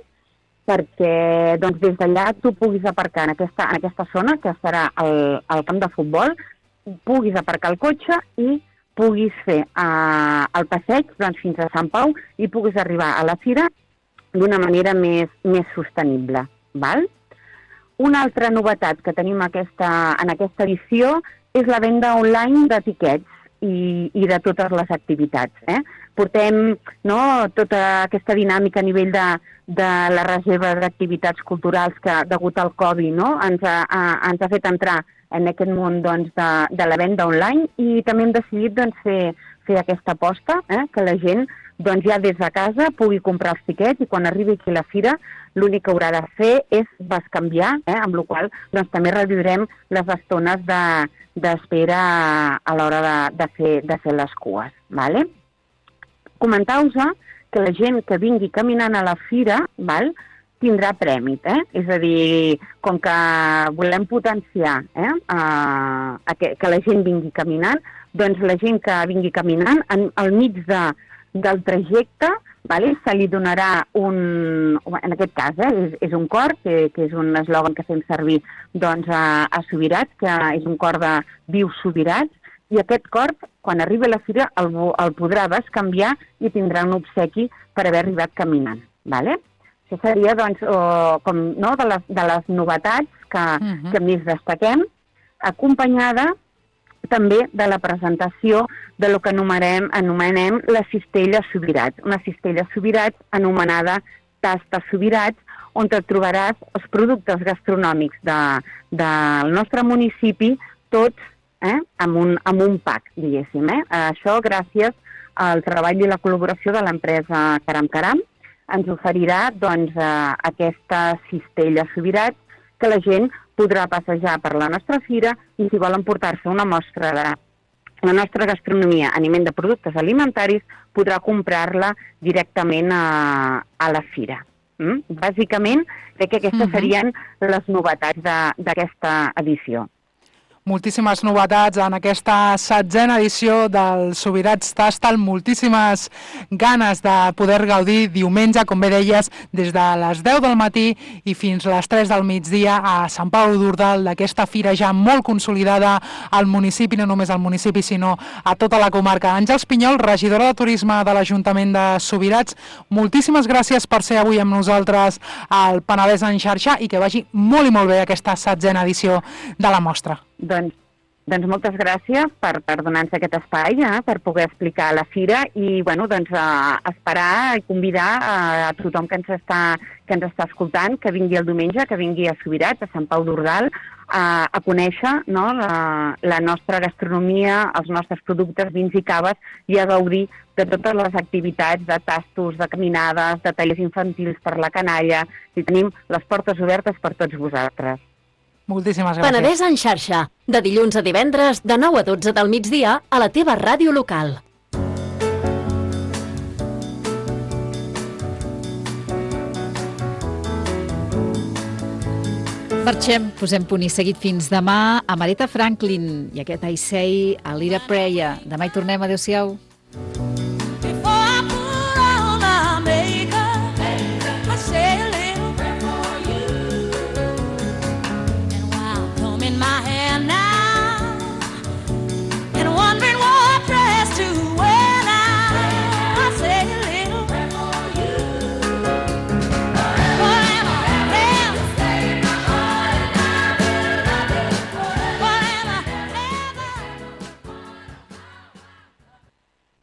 perquè doncs, des d'allà tu puguis aparcar en aquesta, en aquesta zona, que estarà al, al camp de futbol, puguis aparcar el cotxe i puguis fer eh, el passeig doncs, fins a Sant Pau i puguis arribar a la fira d'una manera més, més sostenible. Val? Una altra novetat que tenim aquesta, en aquesta edició és la venda online d'etiquets i, i de totes les activitats. Eh? Portem no, tota aquesta dinàmica a nivell de, de la reserva d'activitats culturals que, degut al Covid, no? ens, ha, ha, ens ha fet entrar en aquest món doncs, de, de la venda online, i també hem decidit doncs, fer, fer aquesta aposta, eh? que la gent doncs, ja des de casa pugui comprar els tiquets i quan arribi aquí a la fira l'únic que haurà de fer és bescanviar, eh? amb la qual cosa doncs, també reduirem les estones d'espera de, a l'hora de, de, fer, de fer les cues. Vale? Comentar-vos que la gent que vingui caminant a la fira val, tindrà prèmit, eh? És a dir, com que volem potenciar eh? uh, que, que la gent vingui caminant, doncs la gent que vingui caminant, en, al mig de, del trajecte, vale? Se li donarà un, en aquest cas, eh? és, és un cor, que, que és un eslògan que fem servir doncs, a, a Subirats, que és un cor de Viu Subirats, i aquest cor, quan arribi a la fira, el, el podrà bescanviar i tindrà un obsequi per haver arribat caminant. Vale? Això seria doncs, o, com, no, de, les, de les novetats que, uh-huh. que més destaquem, acompanyada també de la presentació de lo que anomenem, anomenem la cistella Subirats, una cistella Subirats anomenada Tasta Subirats, on et trobaràs els productes gastronòmics de, del nostre municipi, tots eh, amb, un, amb un pack, diguéssim. Eh? Això gràcies al treball i la col·laboració de l'empresa Caram Caram ens oferirà doncs, eh, aquesta cistella Subirats que la gent podrà passejar per la nostra fira i si volen portar-se una mostra de la nostra gastronomia a nivell de productes alimentaris podrà comprar-la directament a, a la fira. Mm? Bàsicament, crec que aquestes uh-huh. serien les novetats d'aquesta edició.
Moltíssimes novetats en aquesta setzena edició del Subirats Tastal, moltíssimes ganes de poder gaudir diumenge, com bé deies, des de les deu del matí i fins les tres del migdia a Sant Pau d'Ordal, d'aquesta fira ja molt consolidada al municipi, no només al municipi, sinó a tota la comarca. Àngels Pinyol, regidora de Turisme de l'Ajuntament de Subirats, moltíssimes gràcies per ser avui amb nosaltres al Penedès en xarxa i que vagi molt i molt bé aquesta setzena edició de la mostra.
Doncs, doncs moltes gràcies per, per donar-nos aquest espai, eh, per poder explicar la fira i bueno, doncs, a esperar i convidar a, a tothom que ens, està, que ens està escoltant que vingui el diumenge, que vingui a Subirats, a Sant Pau d'Ordal, a, a conèixer no, la, la nostra gastronomia, els nostres productes, vins i caves i a gaudir de totes les activitats de tastos, de caminades, de tallers infantils per la canalla i tenim les portes obertes per tots vosaltres.
Moltíssimes gràcies.
Penedès en xarxa, de dilluns a divendres, de nou a dotze del migdia, a la teva ràdio local.
Marxem, posem punt i seguit fins demà a Aretha Franklin i aquest I Say a Little Prayer. Demà hi tornem, adéu-siau.